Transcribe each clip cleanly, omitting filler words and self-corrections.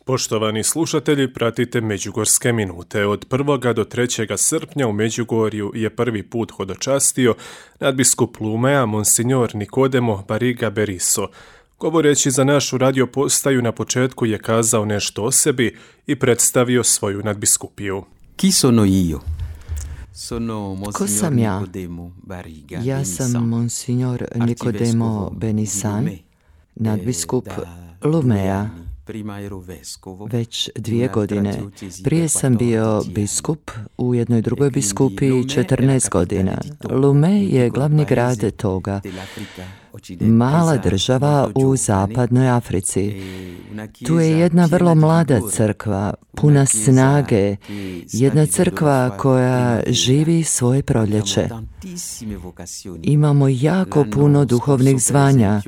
Poštovani slušatelji, pratite Međugorske minute. Od 1. do 3. srpnja u Međugorju je prvi put hodočastio nadbiskup Lumea Monsignor Nicodemo Barriga Berisso. Govoreći za našu radio postaju na početku je kazao nešto o sebi i predstavio svoju nadbiskupiju. Chi sono io? Ko sam ja? Ja sam Monsignor Nicodemo Benisan, nadbiskup Lumea. Već 2 godine. Prije sam bio biskup u jednoj drugoj biskupiji 14 godina. Lume je glavni grad toga. Mala država u zapadnoj Africi. Tu je jedna vrlo mlada crkva, puna snage, jedna crkva koja živi svoje proljeće. Imamo jako puno duhovnih zvanja.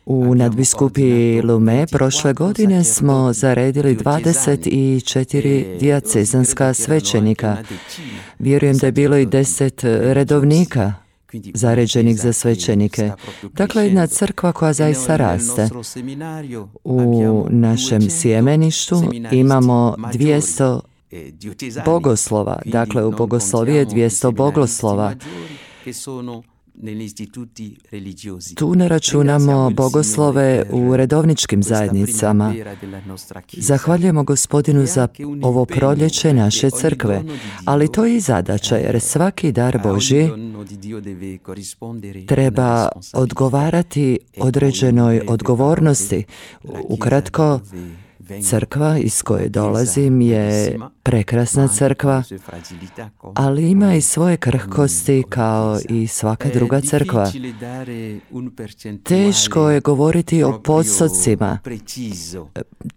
U nadbiskupiji Lume prošle godine smo zaredili 24 dijacezanska svećenika. Vjerujem da je bilo i 10 redovnika zaređenih za svećenike. Dakle, jedna crkva koja zaista raste. U našem sjemeništu imamo 200 bogoslova. Dakle, u bogoslovi je 200 bogoslova. Tu ne računamo bogoslove u redovničkim zajednicama. Zahvaljujemo Gospodinu za ovo proljeće naše crkve, ali to je i zadaća, jer svaki dar Božji treba odgovarati određenoj odgovornosti. Ukratko, crkva iz koje dolazim je prekrasna crkva, ali ima i svoje krhkosti kao i svaka druga crkva. Teško je govoriti o postocima,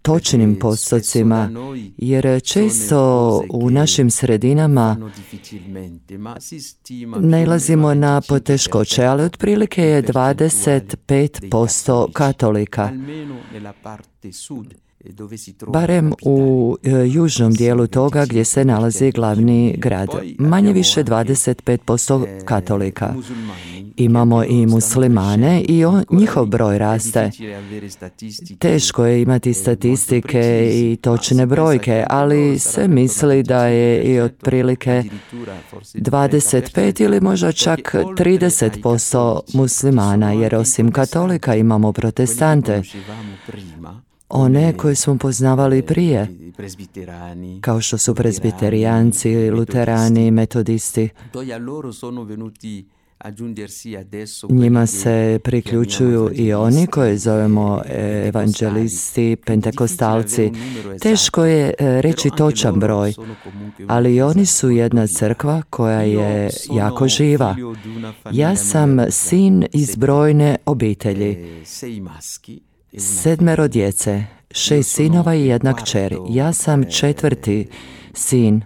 točnim postocima, jer često u našim sredinama nailazimo na poteškoće, ali otprilike je 25% katolika. Barem u južnom dijelu toga gdje se nalazi glavni grad. Manje više 25% katolika. Imamo i muslimane i njihov broj raste. Teško je imati statistike i točne brojke, ali se misli da je i otprilike 25 ili možda čak 30% muslimana, jer osim katolika imamo protestante. One koje smo poznavali prije, kao što su prezbiterijanci, luterani, metodisti. Njima se priključuju i oni koje zovemo evanđelisti, pentekostalci. Teško je reći točan broj, ali oni su jedna crkva koja je jako živa. Ja sam sin iz brojne obitelji. 7 djece, 6 sinova i 1 kćer. Ja sam 4. sin,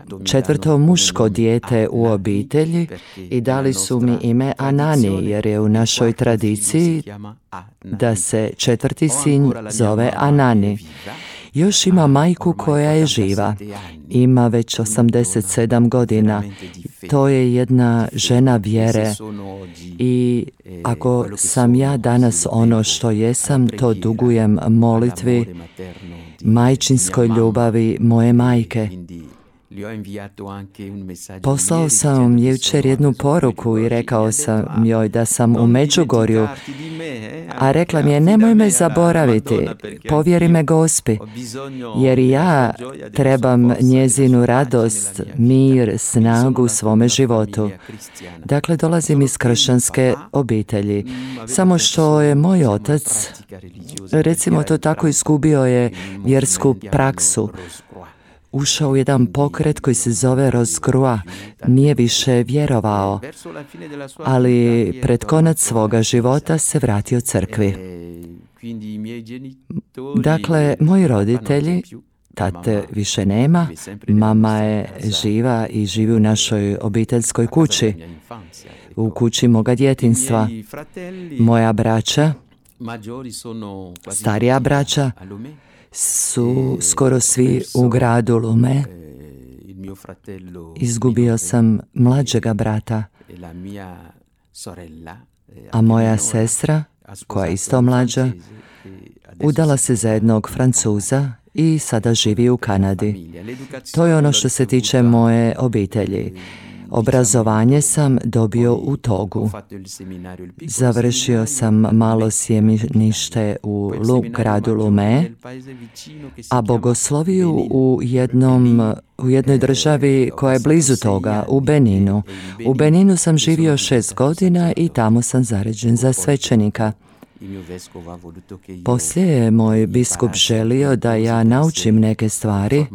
4. muško dijete u obitelji i dali su mi ime Anani, jer je u našoj tradiciji da se 4. sin zove Anani. Još ima majku koja je živa. Ima već 87 godina. To je jedna žena vjere. I ako sam ja danas ono što jesam, to dugujem molitvi, majčinskoj ljubavi moje majke. Poslao sam jučer jednu poruku i rekao sam joj da sam u Međugorju, a rekla mi je nemoj me zaboraviti, povjeri me Gospi, jer ja trebam njezinu radost, mir, snagu u svome životu. Dakle, dolazim iz kršćanske obitelji, samo što je moj otac, recimo to tako, izgubio je vjersku praksu. Ušao u jedan pokret koji se zove Roscrua, nije više vjerovao, ali pred konac svoga života se vratio crkvi. Dakle, moji roditelji, tate više nema, mama je živa i živi u našoj obiteljskoj kući, u kući moga djetinjstva. Moja braća, starija braća, su skoro svi u gradu Lume. Izgubio sam mlađega brata, a moja sestra, koja je isto mlađa, udala se za jednog Francuza i sada živi u Kanadi. To je ono što se tiče moje obitelji. Obrazovanje sam dobio u Togu. Završio sam malo sjemenište u gradu Lomé, a bogosloviju u jednoj državi koja je blizu toga, u Beninu. U Beninu sam živio 6 godina i tamo sam zaređen za svećenika. Poslije je moj biskup želio da ja naučim neke stvari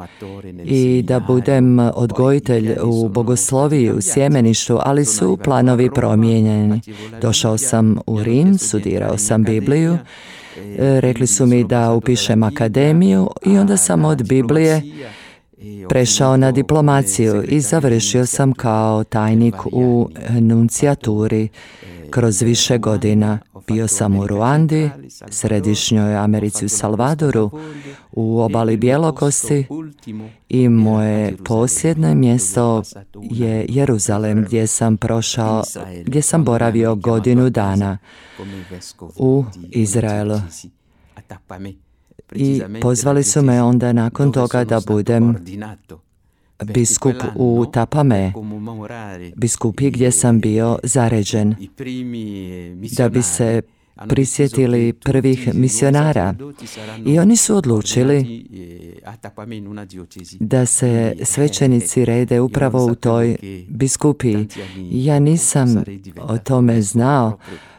i da budem odgojitelj u bogosloviji u sjemeništu, ali su planovi promijenjeni. Došao sam u Rim, studirao sam Bibliju, rekli su mi da upišem akademiju i onda sam od Biblije prešao na diplomaciju i završio sam kao tajnik u nuncijaturi kroz više godina. Bio sam u Ruandi, Središnjoj Americi u Salvadoru, u obali Bjelokosti i moje posljednje mjesto je Jeruzalem gdje sam boravio godinu dana u Izraelu. I pozvali su me onda nakon toga da budem biskup u Tapame, biskupi gdje sam bio zaređen, da bi se prisjetili prvih misionara. I oni su odlučili da se svećenici rede upravo u toj biskupiji. Ja nisam o tome znao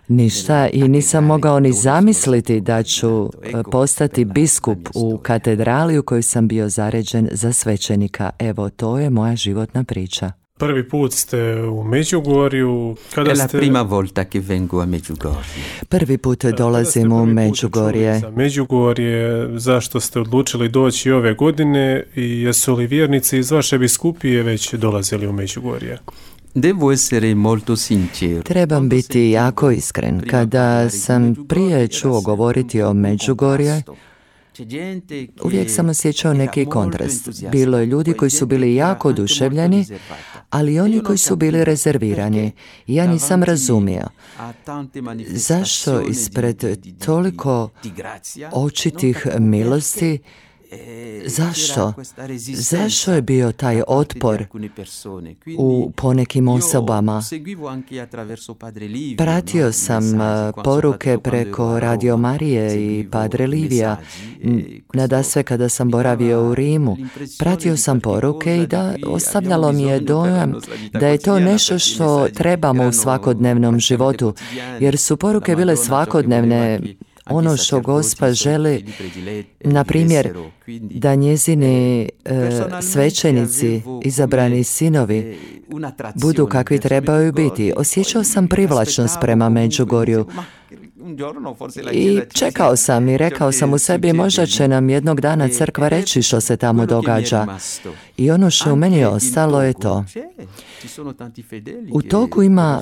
ništa i nisam mogao ni zamisliti da ću postati biskup u katedrali u kojoj sam bio zaređen za svećenika. Evo, to je moja životna priča. Prvi put ste u Međugorju. Kada ste... prima volta che vengo a Medjugorje. Prvi put dolazim u Međugorje. Međugorje, zašto ste odlučili doći ove godine i jesu li vjernici iz vaše biskupije već dolazili u Međugorje? Devo essere molto sincero. Trebam biti jako iskren. Kada sam prije čuo govoriti o Međugorje, uvijek sam osjećao neki kontrast. Bilo je ljudi koji su bili jako oduševljeni, ali i oni koji su bili rezervirani. Ja nisam razumio zašto ispred toliko očitih milosti, Zašto je bio taj otpor u ponekim osobama? Pratio sam poruke preko Radio Marije i Padre Livija. Nadasve kada sam boravio u Rimu, pratio sam poruke i da ostavljalo mi je dojam da je to nešto što trebamo u svakodnevnom životu, jer su poruke bile svakodnevne. Ono što Gospa želi, na primjer, da njezini svećenici, izabrani sinovi, budu kakvi trebaju biti. Osjećao sam privlačnost prema Međugorju i čekao sam i rekao sam u sebi, možda će nam jednog dana crkva reći što se tamo događa. I ono što u meni ostalo je to. U Togu ima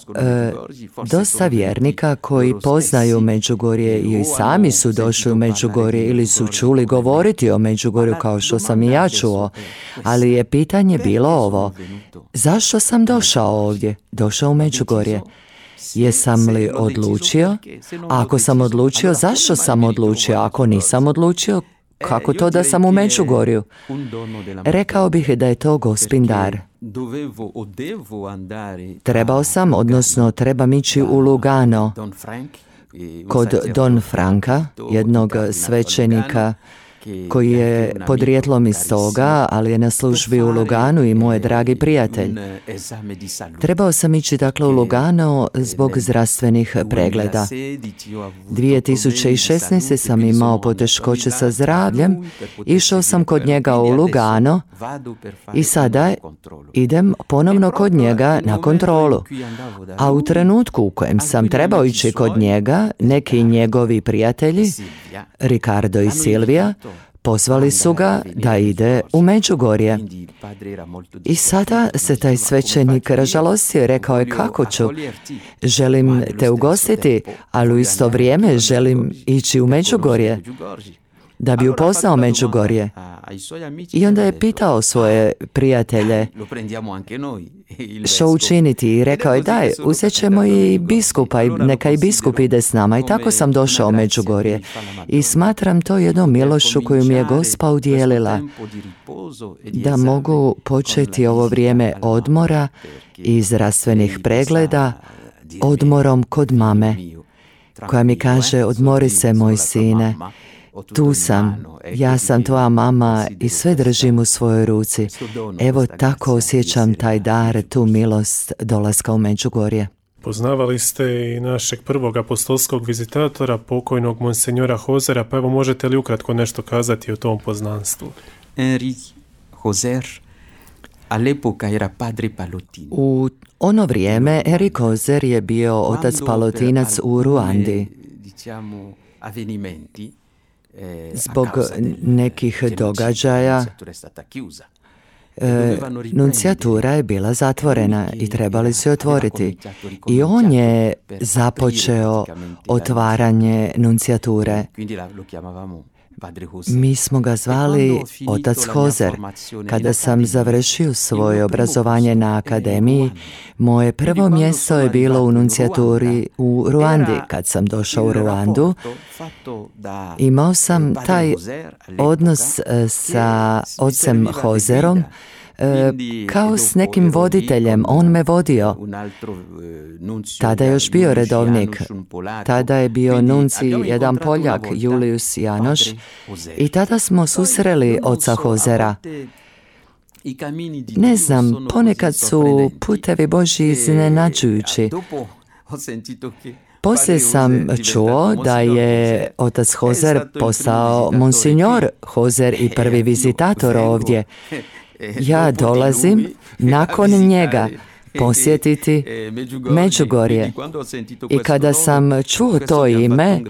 dosta vjernika koji poznaju Međugorje i sami su došli u Međugorje ili su čuli govoriti o Međugorju kao što sam i ja čuo. Ali je pitanje bilo ovo. Zašto sam došao u Međugorje? Jesam li odlučio? Ako sam odlučio, zašto sam odlučio? Ako nisam odlučio, kako to da sam u Međugorju? Rekao bih da je to Gospin dar. Trebam ići u Lugano kod Don Franka, jednog svećenika koji je podrijetlom iz toga, ali je na službi u Luganu i moj dragi prijatelj. Trebao sam ići dakle u Lugano zbog zdravstvenih pregleda. 2016. sam imao poteškoće sa zdravljem, išao sam kod njega u Lugano i sada idem ponovno kod njega na kontrolu. A u trenutku u kojem sam trebao ići kod njega, neki njegovi prijatelji, Ricardo i Silvija, pozvali su ga da ide u Međugorje. I sada se taj svećenik ražalostio i rekao je, kako ću? Želim te ugostiti, ali u isto vrijeme želim ići u Međugorje. da bi upoznao Međugorje. I onda je pitao svoje prijatelje što učiniti i rekao je daj, uzet ćemo i biskupa i neka i biskup ide s nama. I tako sam došao u Međugorje i smatram to jednom milošću koju mi je Gospa udjelila, da mogu početi ovo vrijeme odmora i zdravstvenih pregleda odmorom kod mame, koja mi kaže odmori se moj sine, tu sam, ja sam tvoja mama i sve držim u svojoj ruci. Evo tako osjećam taj dar, tu milost dolaska u Međugorje. Poznavali ste i našeg prvog apostolskog vizitatora, pokojnog monsenjora Hozera, pa evo možete li ukratko nešto kazati o tom poznanstvu? Henri Hozer all'epoca era padre pallottino. U ono vrijeme Henri Hozer je bio otac palotinac u Ruandi. Zbog nekih događaja nuncijatura je bila zatvorena i trebali su je otvoriti. I on je započeo otvaranje nuncijature. Mi smo ga zvali otac Hozer. Kada sam završio svoje obrazovanje na akademiji, moje prvo mjesto je bilo u nuncijaturi u Ruandi. Kad sam došao u Ruandu, imao sam taj odnos sa ocem Hozerom kao s nekim voditeljem. On me vodio. Tada je još bio redovnik. Tada je bio nunci jedan Poljak, Julius Janoš, i tada smo susreli oca Hozera. Ne znam, ponekad su putevi Božji iznenađujući. Poslije sam čuo da je otac Hozer postao monsinjor Hozer i prvi vizitator ovdje. Ja dolazim nakon njega posjetiti Međugorje. I kada sam čuo to ime,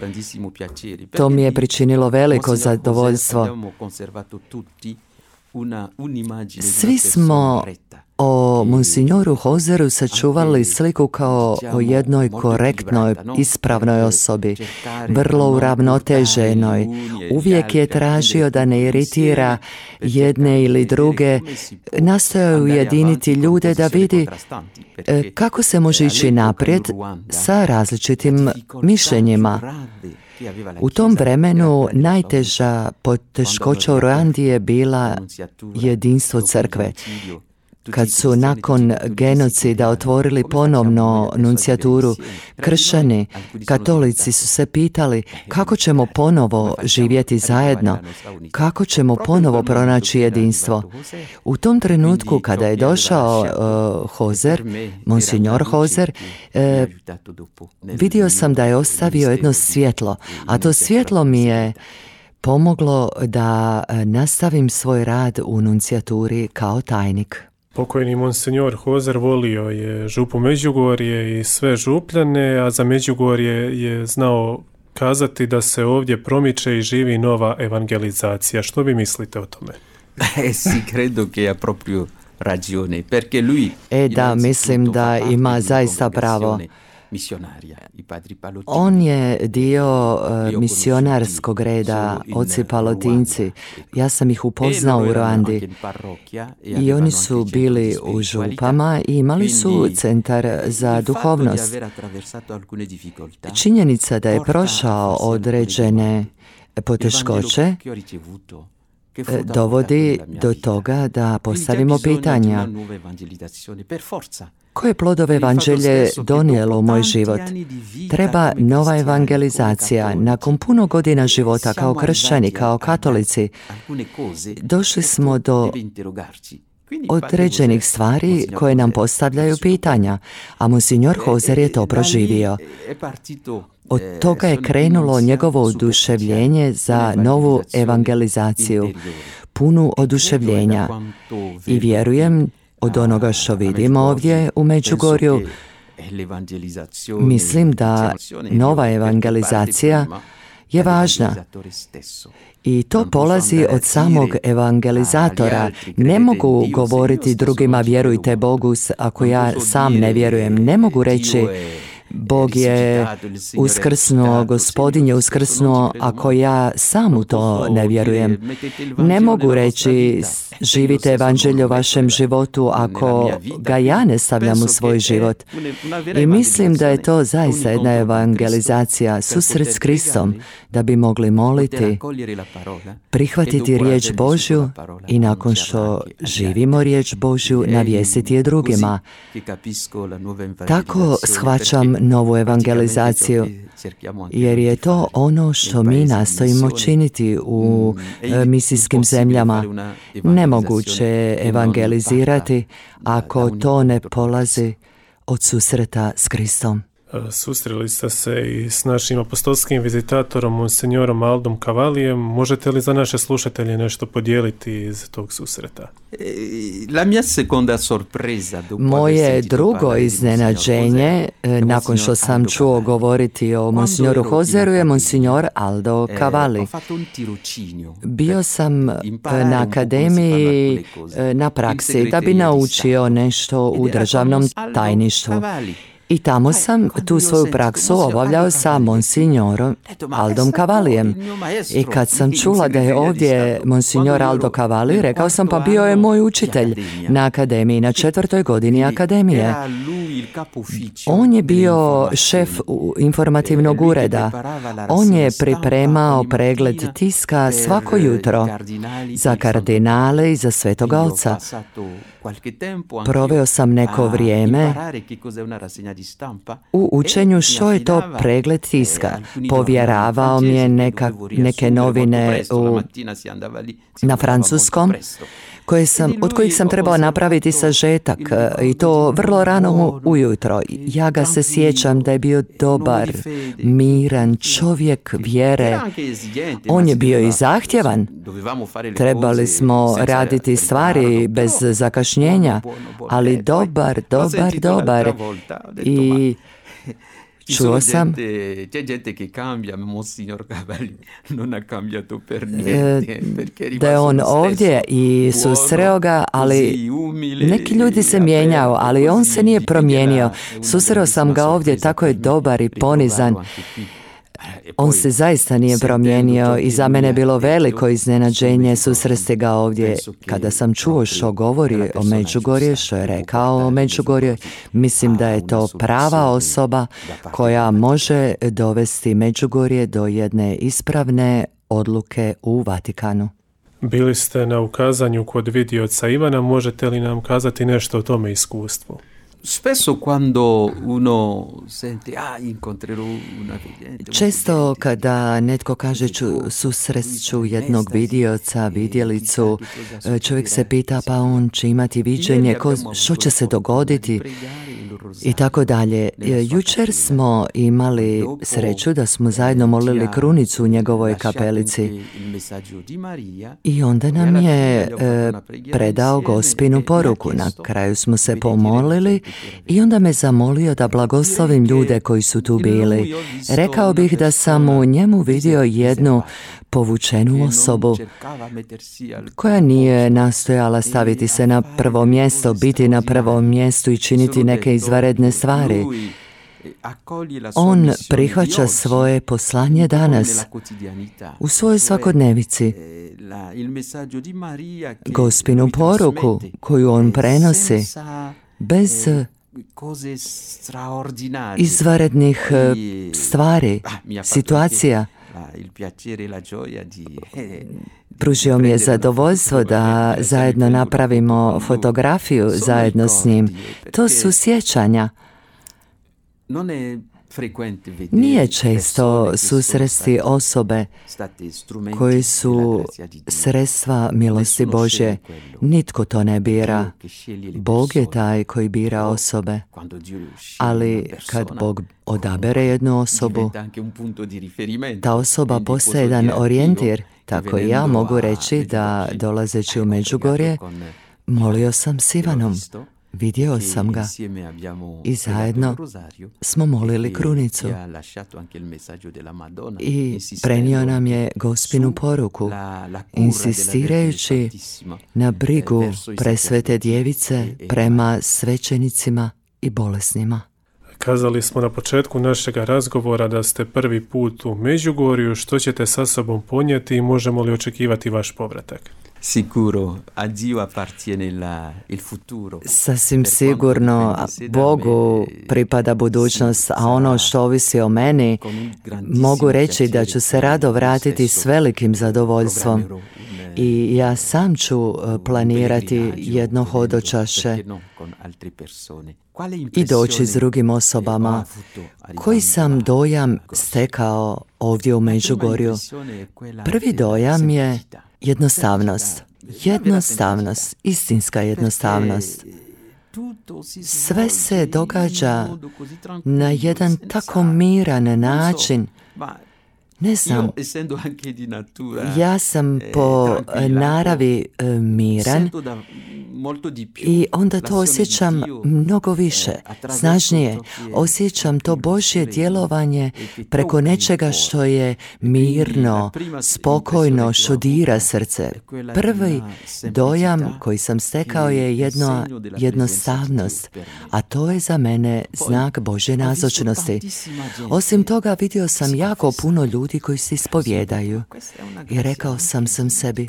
to mi je pričinilo veliko zadovoljstvo. Svi smo o monsignoru Hozeru sačuvali sliku kao o jednoj korektnoj, ispravnoj osobi, vrlo uravnoteženoj. Uvijek je tražio da ne iritira jedne ili druge, nastojao ujediniti ljude da vidi kako se može ići naprijed sa različitim mišljenjima. U tom vremenu najteža poteškoća u Ruandi je bila jedinstvo crkve. Kad su nakon genocida otvorili ponovno nuncijaturu, kršćani, katolici su se pitali kako ćemo ponovo živjeti zajedno, kako ćemo ponovo pronaći jedinstvo. U tom trenutku kada je došao Hozer, monsinjor Hozer, vidio sam da je ostavio jedno svjetlo, a to svjetlo mi je pomoglo da nastavim svoj rad u nuncijaturi kao tajnik. Pokojni monsenjor Hozer volio je župu Međugorje i sve župljane, a za Međugorje je znao kazati da se ovdje promiče i živi nova evangelizacija. Što vi mislite o tome? Si credo che ha proprio ragione, perché lui da, mislim da ima zaista pravo. On je dio misionarskog reda, oci palotinci. Ja sam ih upoznao u Ruandi i oni su bili u župama i imali su centar za duhovnost. Činjenica da je prošao određene poteškoće dovodi do toga da postavimo pitanja. Koje plodove evanđelje donijelo u moj život? Treba nova evangelizacija. Nakon puno godina života kao kršćani, kao katolici, došli smo do određenih stvari koje nam postavljaju pitanja, a monsinjor Hozer je to proživio. Od toga je krenulo njegovo oduševljenje za novu evangelizaciju, punu oduševljenja. I vjerujem, od onoga što vidimo ovdje u Međugorju, mislim da nova evangelizacija je važna. I to polazi od samog evangelizatora. Ne mogu govoriti drugima vjerujte Bogu ako ja sam ne vjerujem. Ne mogu reći Bog je uskrsnuo, Gospodin je uskrsnuo, ako ja sam u to ne vjerujem. Ne mogu reći živite evanđelje u vašem životu ako ga ja ne stavljam u svoj život. I mislim da je to zaista jedna evangelizacija, susret s Kristom, da bi mogli moliti, prihvatiti riječ Božju i nakon što živimo riječ Božju, navijestiti je drugima. Tako shvaćam novu evangelizaciju, jer je to ono što mi nastojimo činiti u misijskim zemljama. Nemoguće je evangelizirati ako to ne polazi od susreta s Kristom. Susreli ste se i s našim apostolskim vizitatorom, monsignorom Aldom Cavalijem. Možete li za naše slušatelje nešto podijeliti iz tog susreta? Moje drugo iznenađenje, nakon što sam čuo govoriti o monsignoru Hozeru, je monsignor Aldo Cavalli. Bio sam na akademiji na praksi da bi naučio nešto u državnom tajništvu. I tamo sam tu svoju praksu obavljao sa monsignorom Aldom Cavallijem. I kad sam čula da je ovdje monsignor Aldo Cavalli, rekao sam pa bio je moj učitelj na akademiji, na 4. godini akademije. On je bio šef informativnog ureda. On je pripremao pregled tiska svako jutro za kardinale i za Svetoga Oca. Proveo sam neko vrijeme u učenju što je to pregled tiska. Povjeravao mi je neke novine na francuskom, od kojih sam trebao napraviti sažetak, i to vrlo rano ujutro. Ja ga se sjećam da je bio dobar, miran čovjek vjere. On je bio i zahtjevan. Trebali smo raditi stvari bez zakašnjenja, ali dobar. I čuo sam da je on ovdje i susreo ga, ali neki ljudi se mijenjaju, ali on se nije promijenio. Susreo sam ga ovdje, tako je dobar i ponizan. On se zaista nije promijenio i za mene je bilo veliko iznenađenje susresti ga ovdje. Kada sam čuo što govori o Međugorju, što je rekao o Međugorju, mislim da je to prava osoba koja može dovesti Međugorje do jedne ispravne odluke u Vatikanu. Bili ste na ukazanju kod vidioca Ivana, možete li nam kazati nešto o tome iskustvu? Često kada netko kaže susreću jednog vidioca, vidjelicu, čovjek se pita pa on će imati viđenje, što će se dogoditi i tako dalje. Jučer smo imali sreću da smo zajedno molili krunicu u njegovoj kapelici i onda nam je predao Gospinu poruku. Na kraju smo se pomolili i onda me zamolio da blagoslovim ljude koji su tu bili. Rekao bih da sam u njemu vidio jednu povučenu osobu koja nije nastojala staviti se na prvo mjesto, biti na prvom mjestu i činiti neke izvanredne stvari. On prihvaća svoje poslanje danas u svojoj svakodnevici. Gospinu poruku koju on prenosi bez izvanrednih stvari, situacija. Pružio mi je zadovoljstvo da zajedno napravimo fotografiju zajedno s njim. To su sjećanja. Nije često susresti osobe koji su sredstva milosti Božje. Nitko to ne bira. Bog je taj koji bira osobe. Ali kad Bog odabere jednu osobu, ta osoba postaje jedan orijentir. Tako i ja mogu reći da dolazeći u Međugorje, molio sam s Ivanom. Vidio sam ga i zajedno smo molili krunicu i prenio nam je Gospinu poruku, insistirajući na brigu presvete djevice prema svećenicima i bolesnima. Kazali smo na početku našeg razgovora da ste prvi put u Međugorju. Što ćete sa sobom ponijeti i možemo li očekivati vaš povratak? Sicuro, a Dio appartiene il futuro. Sasvim sigurno Bogu pripada budućnost, a ono što ovisi o meni, mogu reći da ću se rado vratiti s velikim zadovoljstvom. I ja sam ću planirati jedno hodočašće i doći s drugim osobama. Koji sam dojam stekao ovdje u Međugorju? Prvi dojam je jednostavnost. Jednostavnost, istinska jednostavnost. Sve se događa na jedan tako miran način. Ne znam, ja sam po naravi miran i onda to osjećam mnogo više, snažnije. Osjećam to Božje djelovanje preko nečega što je mirno, spokojno, što dira srce. Prvi dojam koji sam stekao je jednostavnost, a to je za mene znak Božje nazočnosti. Osim toga vidio sam jako puno ljudi koji se ispovjedaju i rekao sam sebi,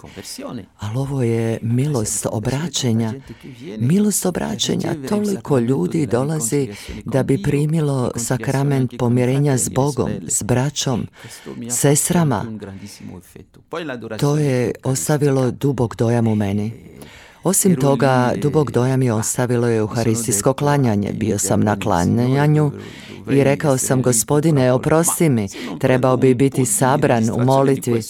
ali ovo je milost obraćenja. Milost obraćenja, toliko ljudi dolazi da bi primilo sakrament pomirenja s Bogom, s braćom, sestrama. To je ostavilo dubok dojam u meni. Osim toga, dubok dojam je ostavilo euharistijsko klanjanje. Bio sam na klanjanju i rekao sam, Gospodine, oprosti mi, trebao bi biti sabran u molitvi,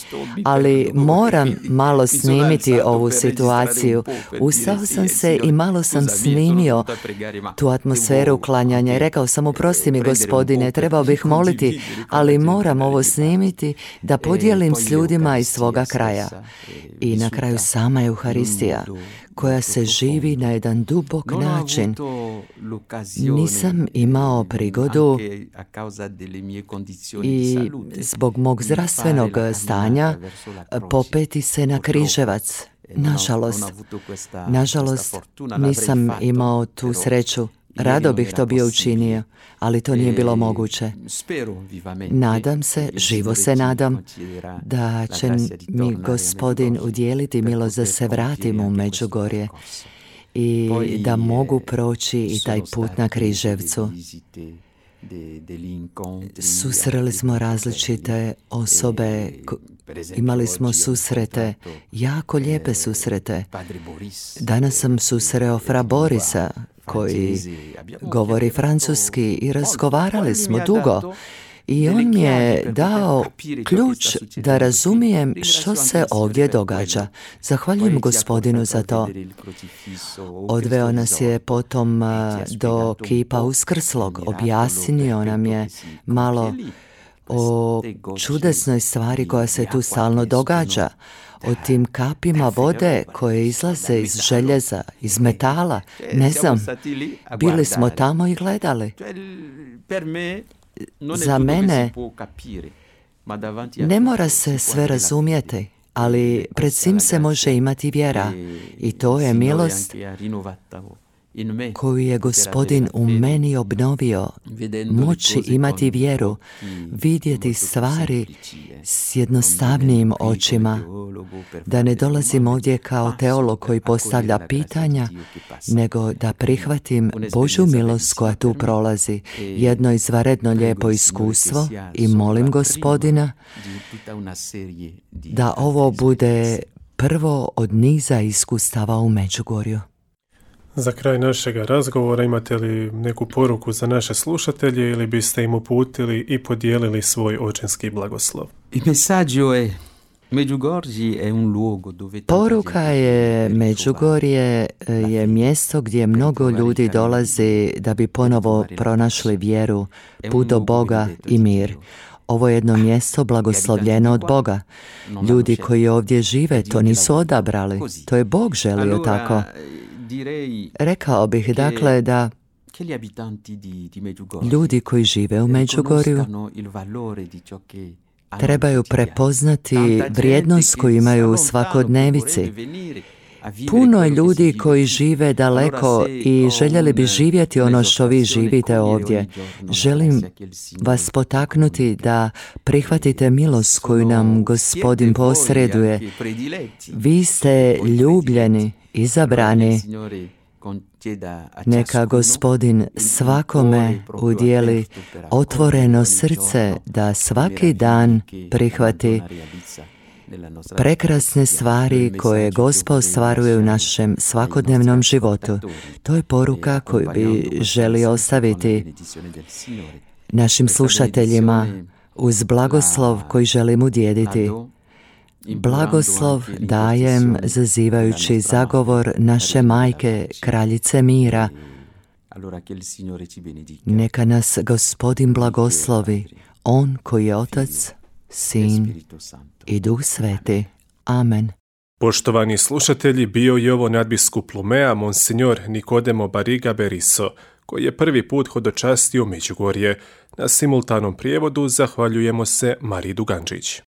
ali moram malo snimiti ovu situaciju. Ustao sam se i malo sam snimio tu atmosferu klanjanja i rekao sam, oprosti mi, Gospodine, trebao bih moliti, ali moram ovo snimiti da podijelim s ljudima iz svoga kraja. I na kraju sama Euharistija, koja se živi na jedan dubok način. Nisam imao prigodu i zbog mog zdravstvenog stanja popeti se na križevac. Nažalost, nisam imao tu sreću. Rado bih to bio učinio, ali to nije bilo moguće. Nadam se, živo se nadam, da će mi Gospodin udjeliti milost da se vratim u Međugorje i da mogu proći i taj put na Križevcu. Susreli smo različite osobe, imali smo susrete, jako lijepe susrete. Danas sam susreo fra Borisa, koji govori francuski, i razgovarali smo dugo. I on mi je dao ključ da razumijem što se ovdje događa. Zahvaljujem Gospodinu za to. Odveo nas je potom do kipa Uskrslog. Objasnio nam je malo o čudesnoj stvari koja se tu stalno događa. O tim kapima vode koje izlaze iz željeza, iz metala. Ne znam, bili smo tamo i gledali. Za mene ne mora se sve razumjeti, ali pred svim se može imati vjera i to je milost koju je Gospodin u meni obnovio. Moći imati vjeru, vidjeti stvari s jednostavnijim očima, da ne dolazim ovdje kao teolog koji postavlja pitanja, nego da prihvatim Božju milost koja tu prolazi, jedno izvanredno lijepo iskustvo, i molim Gospodina da ovo bude prvo od niza iskustava u Međugorju. Za kraj našeg razgovora imate li neku poruku za naše slušatelje ili biste im uputili i podijelili svoj očinski blagoslov? Poruka je, Međugorje je mjesto gdje mnogo ljudi dolazi da bi ponovo pronašli vjeru, put do Boga i mir. Ovo je jedno mjesto blagoslovljeno od Boga. Ljudi koji ovdje žive to nisu odabrali, to je Bog želio tako. Rekao bih dakle da ljudi koji žive u Međugorju trebaju prepoznati vrijednost koju imaju u svakodnevici Puno je ljudi koji žive daleko i željeli bi živjeti ono što vi živite ovdje. Želim vas potaknuti da prihvatite milost koju nam Gospodin posreduje. Vi ste ljubljeni, izabrani. Neka Gospodin svakome udijeli otvoreno srce da svaki dan prihvati prekrasne stvari koje Gospod ostvaruje u našem svakodnevnom životu. To je poruka koju bi želio ostaviti našim slušateljima uz blagoslov koji želim udjeliti. Blagoslov dajem zazivajući zagovor naše majke, kraljice mira. Neka nas Gospodin blagoslovi, On koji je Otac, Sin i Duh Sveti. Amen. Poštovani slušatelji, bio je ovo nadbiskup Lumea, monsignor Nicodemo Barriga Berisso, koji je prvi put hodočastio Međugorje. Na simultanom prijevodu zahvaljujemo se Mariji Dugančić.